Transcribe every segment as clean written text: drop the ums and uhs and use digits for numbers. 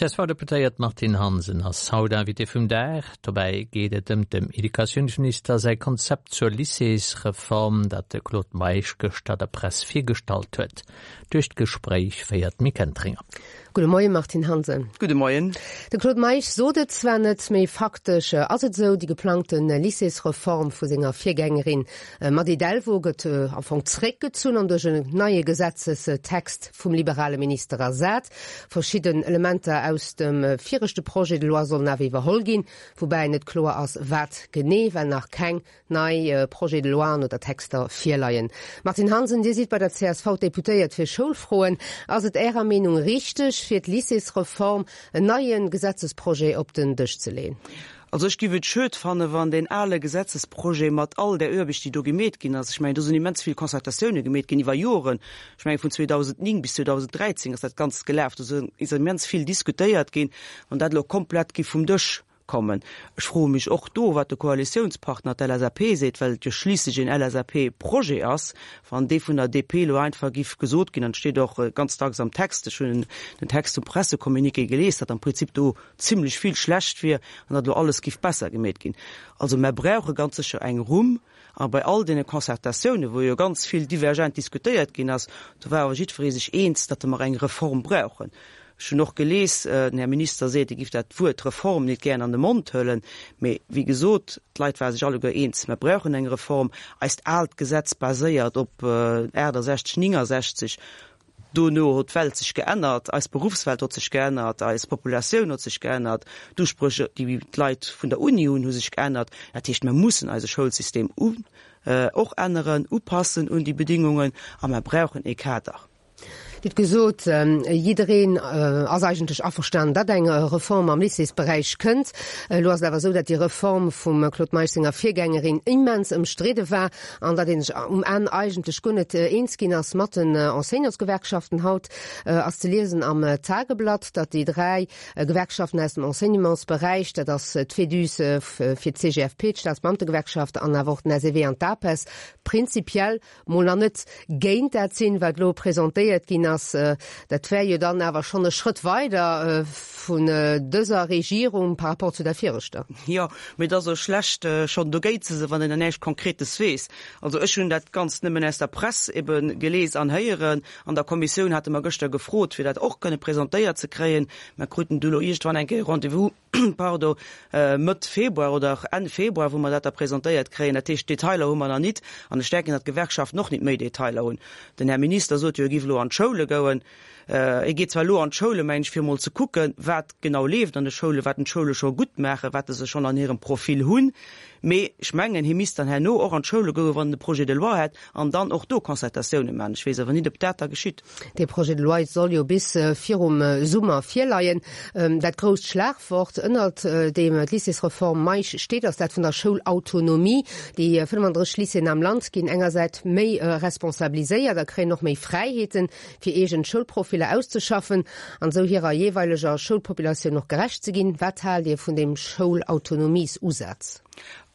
D'CSV-Deputéiert Martine Hansen ass haut Invitée vum Dag. Dobäi geet et ëm dem Educatiounsminister säi Konzept zur Lycéesreform, dat de Claude Meisch gëschter der Press virgestallt huet. Duerch d'Gespréich féiert d'Mick Entringer. Gudde Moien, Martine Hansen. Gudde Moien. De Claude Meisch sot et zwar net, mee faktesch ass et esou, déi geplangte Lycéesreform vu senger Virgängerin Mady Delvaux gëtt am Fong zréckgezunn an duerch en neie Gesetzestext vum liberale Minister ersat. Verschidden Elementer aus dem viregte Projet de loi sollen awer iwwerholl ginn, woubäi net kloer ass, wat genee, well nach keng nei Projets de loien oder Texter virleien. Martine Hansen, Dir sidd bei der csv Deputéiert fir Schoulfroen. Ass et Ärer Meenung richteg, fir d'Lycéesreform en neie Gesetzesprojet op den Dësch ze leen? Also ech giff et schued fannen, wann deen ale Gesetzesprojet mat all där Oarbecht, déi do gemeet ginn ass, ech mengen, do sinn immens vill Concertatioune gemeet ginn iwwer Joren, ech mengen vun 2009 bis 2013 ass dat Ganzt gelaf, do ass immens vill diskutéiert ginn, wann dat elo komplett giff vum Dësch kommen. Ech froe mech och do, wat de Koalitiounspartner, d'LSAP, seet, well et jo schliisslech een LSAP-Projet ass, wann dee vun der DP elo einfach giff gesot ginn, an et steet och ganz dacks am Text, ech hunn den Text vum Pressecommuniqué gelies, datt am Prinzip do zimlech vill schlecht wier an datt elo alles giff besser gemeet ginn. Also mer brauche ganz sécher eng Rumm. A bei all deene Concertatiounen, wou jo ganz vill divergent diskutéiert ginn ass, do war awer jiddweree sech eens, datt mer eng Reform brauchen. Ech hunn och gelies, den Här Minister seet, e giff dat Wuert Reform nit gären an de Mond huelen, mee wéi gesot, d'Leit ware sech alleguer eens, mer brauchen eng Reform. Eist aalt Gesetz baséiert op 68, 69. Dono hot d'Welt sech geännert, eis Beruffswelt hot sech geännert, eis Populatioun hot sech geännert, d'Uspréch, déi d'Leit vun der Uni hunn, hu sech geännert. Dat heescht, mer mussen eise Schoulsystem och änneren, upassen un déi Bedingungen a mer brauchen ee Kader. Dir hutt gesot, jiddereen ass eigentlech averstanen, datt eng Reform am Lycéesberäich kënnt. Elo ass et awer esou, datt déi Reform vum Claude Meisch senger Virgängerin immens ëmstridde war an datt ee sech um Enn eigentlech guer net eens ginn ass mat den Enseignantsgewerkschaften. Haut ass ze liesen am Tageblatt, datt déi 3 Gewerkschaften aus dem Enseignementsberäich, dat ass d'Fédus fir d'CGFP, d'Staatsbeamtegewerkschaft an awer och den SEW an d'APES, prinzipiell mol nach net géint dat sinn, wat elo presentéiert ginn ass. Dat wär jo dann awer schonn e Schrëtt weider vun dëser Regierung par rapport zu der viregter. Jo, mee et ass och schlecht, schonn dogéint ze sinn, wann een nach näischt Konkretes weess. Also ech hunn dat Ganzt nëmmen aus der Press ebe gelies an héieren. An der Kommissioun hate mer gëschter gefrot, fir dat och kënne presentéiert ze kréien. Mer kruten du elo iergendwann eng Kéier Rendez-vous. pardon, Mëtt Februar oder Enn Februar, wou mer dat da presentéiert kréien. Dat heescht, Detailer hu mer nach nit. An ech denken, datt d'Gewerkschaften och nit méi Detailer hunn. Den Här Minister sot jo, e giff elo an d'Schoule gouen. E geet zwar elo an d'Schoule, mengen ech, fir emol ze kucken, wat genau leeft an de Schoulen, wat d'Schoule scho gutt maachen, wat se schonn an hirem Profil hunn. Mee ech mengen, hie misst dann herno och an d'Schoule goen, wann en de Projet de loi hätt, an dann och do Concertatioune maachen. Ech weess awer nit, ob dat da geschitt. Dee Projet de loi soll jo bis virum Summer virleien. Dat grousst Schlagwort, ënnert deem d'Lycéesreform Meisch steet, ass dat vun der Schoulautonomie. Déi 35 Lycéeën am Land ginn engersäit méi responsabiliséiert a kréien och méi Fräiheeten, fir eegen Schoulprofiller auszeschaffen an esou hirer jeeweileger Schoulpopulatioun och gerecht ze ginn. Wat haalt Dir vun deem Schoulautonomiesusaz?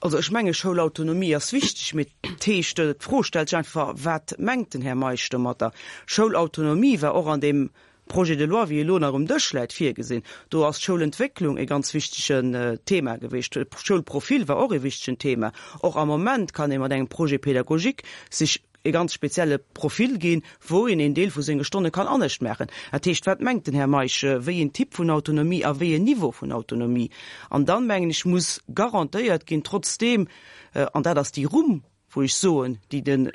Also ech menge Schoulautonomie ass wichteg, mee d'heescht, d'Fro stellt sech einfach, wat mengt den Här Meisch domatter? Schoulautonomie war och an deem Projet de loi, wéi e lo nach um Dësch läit, virgesinn. Do ass d'Schoulentwécklung e ganz wichtegen Thema gewiescht. Schoulprofil war och e wichtegen Thema. Och am Moment kann ee mat engem Projet pédagogique sech e ganz spezielle Profil ginn, wou een een Deel vu senge Stonne kann anescht maachen. Dat heescht, wat mengt den Här Meisch, wéi een Typ vun Autonomie a wéi een Niveau vun Autonomie? An dann, mengen ech, muss garantéiert ginn, trotzdeem, an dat ass déi Rumm, wou ech soen, déi de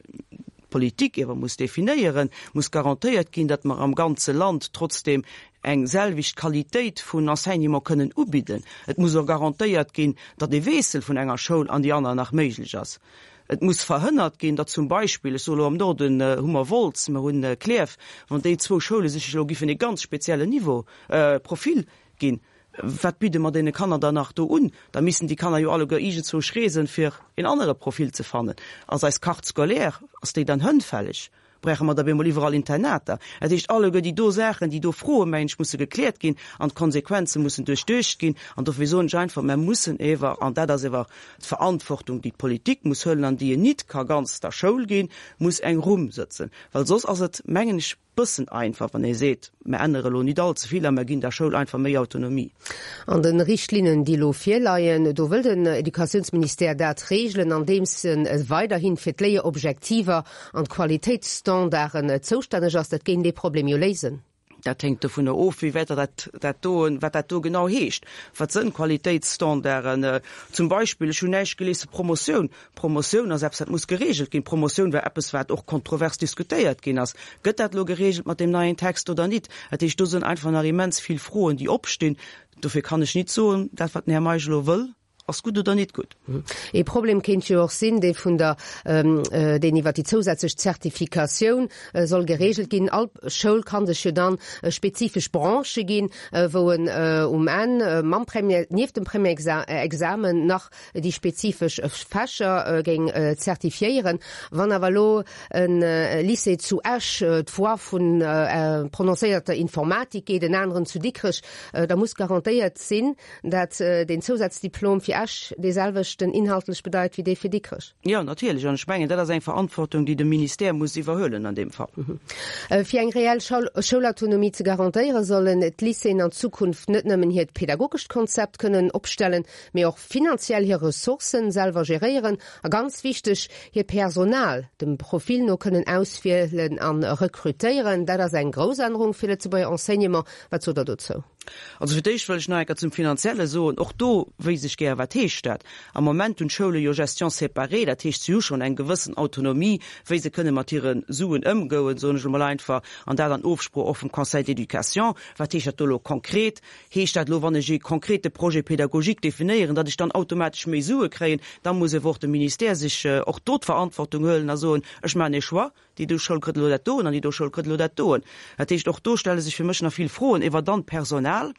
d'Politik ewer muss definéieren, muss garantéiert ginn, datt mer am ganze Land trotzdeem eng selwecht Qualitéit vun Enseignement kënnen ubidden. Et muss och garantéiert ginn, datt e Wiessel vun enger Schoul an déi aner nach méiglech ass. Et muss verhënnert ginn, datt zum Beispill, ech soe elo am Norden hu mer Wolz, mer hunn Klierf, wann déi zwou Schoule sech elo giffen e ganz speziellen Niveau, Profil ginn, wat bidde mer deene Kanner dann nach do un? Da missten déi Kanner jo alleguer iergendzwousch reesen, fir een anere Profil ze fannen. Ass eis Carte scolaire, ass déi dann hënnfälleg? Brauche mer da bemol iwwerall Internater? Dat heescht, alleguer déi do Saachen, déi do Froen, mengen ech, musse gekläert ginn an d'Konsequenze mussen duerchduecht ginn. An dofir soen ech einfach, mer mussen ewer, an dat ass ewer d'Verantwortung, déi d'Politik muss huelen an déi een nit ka ganz der Schoul ginn, muss eng Rumm sëtzen, well soss ass et, mengen ech. bëssen einfach, wann ee seet, mer ännere elo nit all ze vill a mer ginn der Schoul einfach méi Autonomie. An de Richtlinnen, déi elo virleien, do wëll den Educatiounsministère dat reegelen, andeems e weiderhi fir d'Léierobjektiver an d'Qualitéitsstandarden zoustänneg ass. Dat géing dee Problem jo léisen. Dat hänkt dovunner of, wéi wäit dat dat do, wat dat do genau heescht. Wat sënn Qualitéitsstandarden? Zum Beispill, ech hunn näischt gelies zu Promotioun. Promotioun ass eppes, dat muss geregelt ginn. Promotioun war eppes, wat och kontrovers diskutéiert ginn ass. Gëtt dat elo geregelt mat deem neien Text oder nit? Dat heescht, do sënn einfach nach immens vill Froen, déi opstinn. Dofir kann ech nit soen, dat wat den Här Meisch elo wëll, ass gutt oder nit gutt. Ee Problem kéint jo och sinn, dee vun der, deen iwwer déi zousätzlech Zertifikatioun soll geregelt ginn. All Schoul ka sech jo dann spezifesch Branchë ginn, wou en um Enn mam Premier, nieft dem Premièresexamen nach déi spezifesch Fächer géing zertifiéieren. Wann awer elo e Lycée zu Esch d'Voie vun prononcéierter Informatik geet, en aneren zu Dikrech, da muss garantéiert sinn, dat deen Zousazdiplom fir Esch dee selwechten inhaltlech bedeit wéi dee fir Dikrech. Jo, natierlech. An ech mengen, dat ass eng Verantwortung, déi de Ministère muss iwwerhuelen an deem Fall. Fir eng reell Schoulautonomie ze garantéieren, sollen d'Lycéeën an Zukunft net nëmmen hiert pedagogescht Konzept kënnen opstellen, mee och finanziell hir Ressourcen selwer geréieren a ganz wichteg, hiert Personal dem Profil no kënnen auswielen a rekrutéieren. Dat ass eng grouss Ännerung fir Lëtzebuerger Enseignement. Wat sot Der dozou? Also fir d'éischt wëll ech nach eng Kéier zum Finanzielle soen, och do wéisst ech gär, wat heescht dat? Am Moment hunn d'Schoule jo Gestion séparée, dat heescht, si hu schonn eng gewëssen Autonomie, wéi se kënne mat hire Suen ëmgouen, soen ech elo mol einfach, an dat an Ofsprooch och vum Conseil d'éducation. Wat heescht dat do elo konkret? Heescht dat elo, wann ech ee konkrete Projet pédagogique definéieren, datt ech dann automatesch méi Sue kréien? Da muss ewer och de Ministère sech och do d'Verantwortung huelen a soen, ech maachen ee Choix, Déi do Schoul kritt elo dat doen an déi do Schoul kritt elo dat doen. Dat heescht, och do stelle sech fir mech nach vill Froen iwwer dann d'Personal.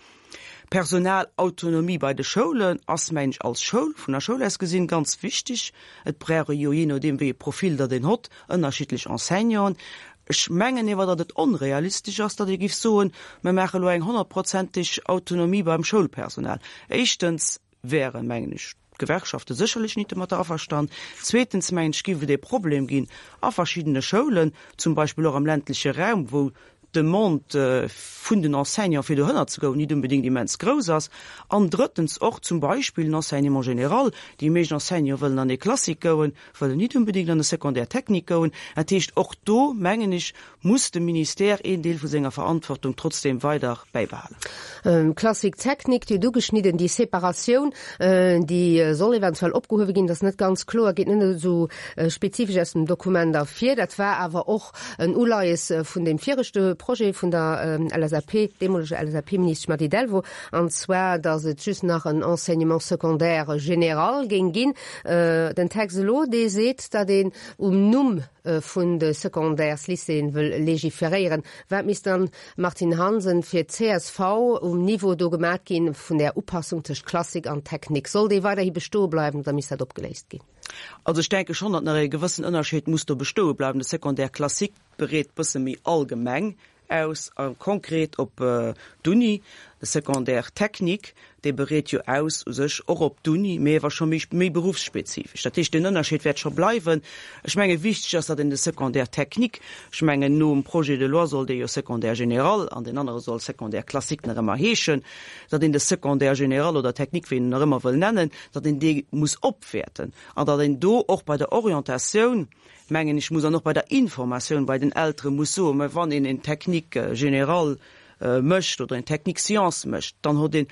Personalautonomie bei de Schoulen ass, mengen ech, als Schoul, vun der Schoul aus gesinn, ganz wichtig. Et brauch ee jo, jee nodeem wéi ee Profil datt een hott, ënnerschiddlech Enseignanten. Ech mengen ewer, datt et onrealistesch ass, datt ee giff soen, mer maache elo eng honnertprozenteg Autonomie beim Schoulpersonal. Éischtens wären, mengen ech, d'Gewerkschafte sécherlech nit domatter averstan. Zweetens, mengen ech, géif et ee Problem ginn a verschiddene Schoulen, zum Beispill och am ländleche Raum, wou d'Demande vun den Enseignants, fir dohënner ze goen, nit unbedéngt immens grouss ass. An drëttens och zum Beispill den Enseignement général. Déi meescht Enseignants wëllen an ee Classique goen, wëllen nit unbedéngt an e Secondaire technique goen. Dat heescht, och do, mengen ech, muss de Ministère een Deel vu senger Verantwortung trotzdem weider bäibehalen. Classique technique, Dir hutt ugeschnidden, déi Separatioun, déi soll eventuell opgehuewe ginn. Dat ass net ganz kloer, geet net esou spezifesch aus dem Dokument ervir. Dat war awer och en Uleies vun deem viregte Projet vun der LSAP, deemoleger LSAP-Ministesch Mady Delvaux, an zwar, datt et just nach en Enseignement secondaire général géing ginn. Den Text elo, dee seet, datt een um Numm vun de Secondaires-Lycéeën wëll legiferéieren. Wat misst dann, Martine Hansen, fir d'CSV um Niveau do gemat ginn vun där Upassung tëscht Klassik an Technik? Soll déi weiderhi bestoe bleiwen oder misst dat opgeléist ginn? Also ech denke schonn, datt nach e gewëssen Ënnerscheed muss do bestoe bleiwen. De Secondaire classique bereet bësse méi allgemeng aus a konkret op d'Uni. De Secondaire technique, dee bereet jo aus u sech och op d'Uni, mee ewer scho méi méi beruffsspezifesch. Dat heescht, deen Ënnerscheed wäert scho bleiwen. Ech menge wichteg ass, datt een de Secondaire technique, ech mengen nom Projet de loi soll dee jo Secondaire général an deen anere soll Secondaire classique nach ëmmer heeschen, datt een de Secondaire général oder technique, wéi een en nach ëmmer wëll nennen, datt een dee muss opwäerten an datt een do och bei der Orientatioun, mengen ech, muss an och bei der Informatioun bei den Eltere muss soen, mä wann een en Technique générale mécht oder en Technique sciences mécht, dann huet een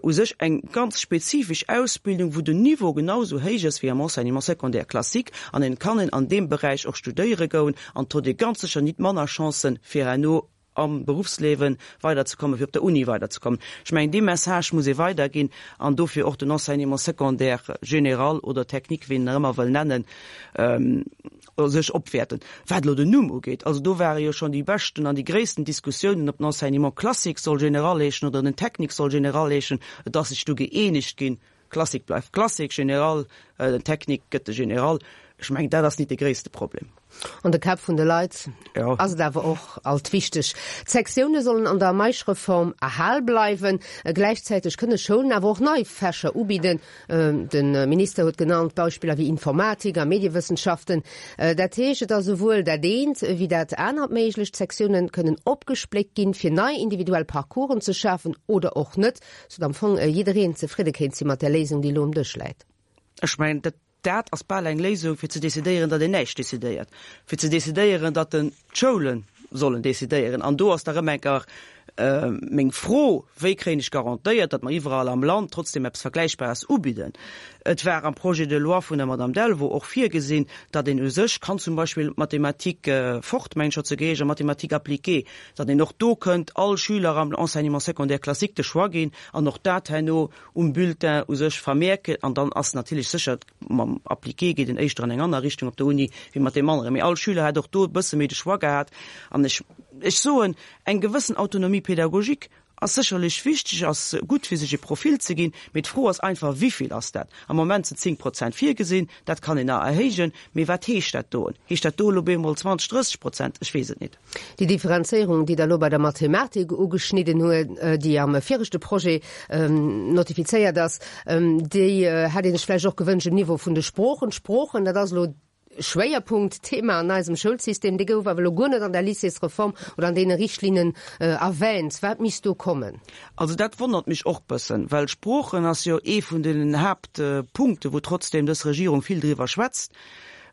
u sech eng ganz spezifesch Ausbildung, wou den Niveau genau esou héich ass wéi am Enseignement secondaire classique an en kann een an deem Beräich och studéiere goen an huet ee ganz sécher nit manner Chancen, fir herno am Beruffsliewe weiderzekommen, fir op der Uni weiderzekommen. Ech mengen, dee Message muss ee weiderginn an dofir och den Enseignement secondaire général oder technique, wéi een en nach ëmmer wëll nennen, sech opwäerten. Wat elo den Numm ugeet, also do ware jo schonn déi beschten an déi gréissten Diskussiounen, ob den Enseignement classique soll général heeschen oder den technique soll général heeschen. Et ass sech du gëeenegt ginn, Classique bleift Classique, Général, den Technique gëtt de Général. Ech mengen, dat ass nit de gréisste Problem. An de Käpp vun de Leit ass et awer och alt wichteg. D'Sektioune sollen an der Meisch-Reform erhal bleiwen. Gläichzäiteg kënne Schoulen awer och nei Fächer ubidden. De Minister huet genannt Beispiller wéi Informatik a Mediewëssenschaften. Dat heescht, et ass esouwuel dat eent ewéi dat anert méiglech. D'Sektioune kënnen opgespléckt ginn, fir nei individuell Parcoursen ze schafen oder och net, sou datt am Fong jiddereen zefridde kéint si mat där Léisung, déi elo um Dësch läit. Ech mengen, dat Dat ass bal eng Léisung, fir ze decidéieren, datt een näischt decidéiert, fir ze decidéieren, datt den d'Schoule sollen decidéieren. An do ass da rëm eng Kéier meng Fro, Wéi kréien ech garantéiert, datt mer iwwerall am Land trotzdem eppes Vergläichbares ubidden? Et war am Projet de loi vun der Madame Delvaux och virgesinn, datt een u sech kann zum Beispill Mathématiques forte, mengen ech, hat se geheescht, a Mathématiques appliquées, datt een och do kënnt all Schüler am Enseignement secondaire classique de Choix ginn an och dat herno um Bulletin u sech vermierken an dann ass natierlech sécher, mam Appliqué geet en éischter an eng aner Richtung op der Uni wéi mat deem aneren, mee all Schüler hätt och do e bësse méi de Choix gehat an ech, ech soen, eng gewëssen Autonomie pédagogique ass sécherlech wichteg, ass gutt fir sech e Profil ze ginn, mee d'Fro ass einfach, Wivill ass dat? Am Moment sinn 10 Prozent virgesinn, dat kann een nach erhéijen, mee wat heescht dat doen? Heescht dat do elo bemol 20, 30 Prozent? Ech weess et nit. Déi Differenzéierung, déi Der elo bei der Mathematik ugeschnidden huet, déi am viregte Projet notifizéiert ass, déi hätt ee sech vläicht och gewënscht um Niveau vun de Sproochen. D'Sproochen, dat ass elo Schwéierpunktthema an eisem Schoulsystem, dee gouf awer elo guer net an der Lycéesreform oder an deene Richtlinnen erwähnt. Wat misst do kommen? Also dat wonnert mech och bëssen, well Sproochen ass jo ee vun den Haaptpunkten, wou trotzdem dës Regierung vill driwwer schwätzt.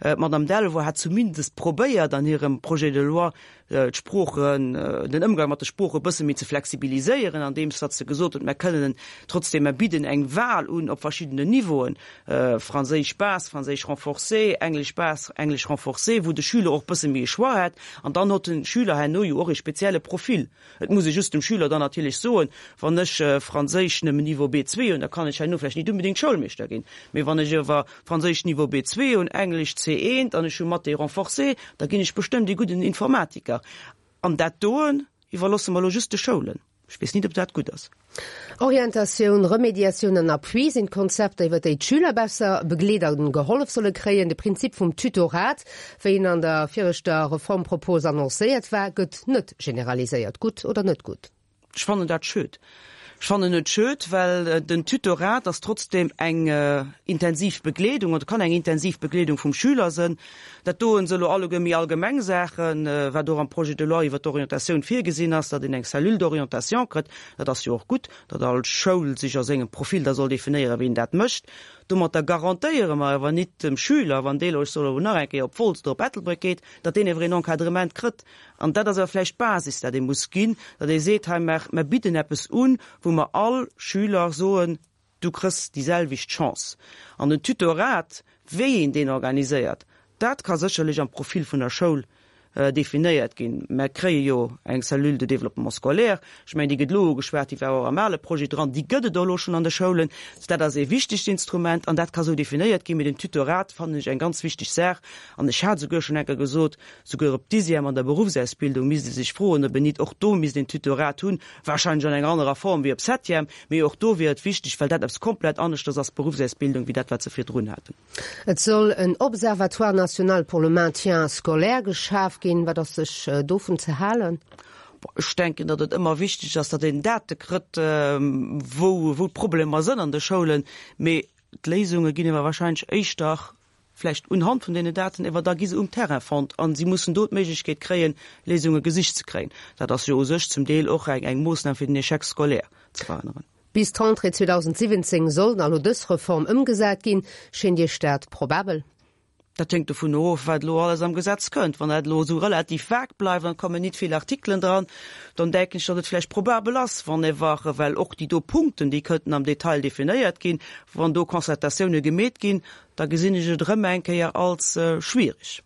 D'Madame Delvaux hat zumindest probéiert an hirem Projet de loi d'Sproochen, den Ëmgang mat de Sprooche e bësse méi ze flexibiliséieren, andeems datt se gesot huet, Mer kënnen trotzdem, mer bidden eng Wahl un op verschiddenen Niveauen, Franséisch base, Franséisch renforcé, Englesch base, Englesch renforcé, wou de Schüler och e bësse méi e Choix hätt. An dann huet de Schüler herno jo och e spezielle Profil. Et muss ee just dem Schüler dann natierlech soen, wann ech Franséisch nëmmen Niveau B2 hunn, da kann ech herno vläicht nit unbedéngt Schoulmeeschter ginn. Mee wann ech awer Franséisch Niveau B2 hunn, Englesch C1 an ech hu Mathé renforcé, da ginn ech bestëmmt ee gudden Informatiker. An dat doen iwwerlosse mer elo just de Schoulen. Ech weess nit, ob dat gutt ass. Orientatioun, Remediatioun an Appui sinn d'Konzepter, iwwer déi d'Schüler besser begleet a gehollef solle kréien. De Prinzip vum Tutorat, wéi en an der viregter Reformpropos annoncéiert war, gëtt net generaliséiert. Gutt oder net gutt? Ech fannen dat schued. Ech fannen et schued, well den Tutorat ass trotzdem eng intensiv Begleedung oder kann eng intensiv Begleedung vum Schüler sënn. Dat doen se elo alleguer méi allgemeng Saachen, wat och am Projet de loi iwwert d'Orientatioun virgesinn ass, datt een eng Cellule d'orientation kritt. Dat ass jo och gutt, datt all Schoul sech a sengem Profil da soll definéieren, wien dat mécht. Domatter garantéiere mer awer nit dem Schüler, wann dee elo, ech soen elo nach eng Kéier, op Wolz oder op Ettelbréck geet, datt deen ewer een Encadrement kritt. An dat ass awer vläicht d'Basis, dat ee muss ginn, datt ee seet, hei, mer bidden eppes un, wou mer all Schüler soen, Du krëss déi selwecht Chance. An den Tutorat, wéi een deen organiséiert, dat ka sécherlech am Profil vun der Schoul definéiert ginn. Mer kréie jo eng Cellule de développement scolaire, ech mengen, déi gëtt elo ugeschwat, déi war och am ale Projet dran, déi gëtt et och elo schonn an de Schoulen. Dat ass ee wichtegt Instrument an dat ka sou definéiert ginn. Mee den Tutorat fannen ech eng ganz wichteg Saach an ech hat souguer schonn eng Kéier gesot, souguer op Dixième an der Beruffsausbildung misst ee sech froen, ob een nit och do misst een Tutorat hunn, wahrscheinlech an enger anerer Form wéi op Septième. Mee och do wier et wichteg, well dat eppes komplett aneschters ass, d'Beruffsausbildung, wéi dat, wat se virdrun haten. Et soll en Observatoire national pour le maintien scolaire geschaf ginn. Wat ass sech dovun ze halen? Ech denken, datt et ëmmer wichteg ass, datt een Date kritt, wou d'Problemer sënn an de Schoulen. Mee d'Léisunge ginn ewer wahrscheinlech éischter vläicht unhand vun deenen Daten, ewer da gi se um Terrain fonnt a si mussen do d'Méiglechkeet kréien, Léisunge gesicht ze kréien. Dat ass jo u sech zum Deel och eng eng Moossnam fir den Échec scolaire ze verhënneren. Bis d'Rentrée 2017 soll dann elo dës Reform ëmgesat ginn. Schéint Iech dat probabel? Dat hänkt dovun of, wat elo alles am Gesetz kënnt. Wann dat elo esou relativ vag bleift an et kommen nit vill Artikelen dran, dann denken ech, datt et vläicht probabel ass, wann ewer, well och déi do Punkten, déi kënnten am Detail definéiert ginn, wann do Concertatioune gemeet ginn, Da gesinn ech et erëm eng Kéier als schwierig.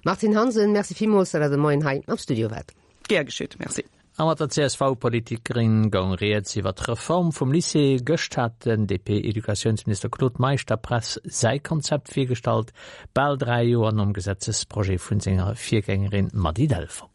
Martine Hansen, Merci villmools, datt Der de Moien hei am Studio waart. Gär geschitt, Merci. A mat der CSV-Politikerin goung Rieds iwwer d'Reform vum Lycée. Gëscht hat den DP-Educatiounsminister Claude Meisch der Press säi Konzept virgestallt, bal 3 Joer nom Gesetzesprojet vun senger Virgängerin Mady Delvaux.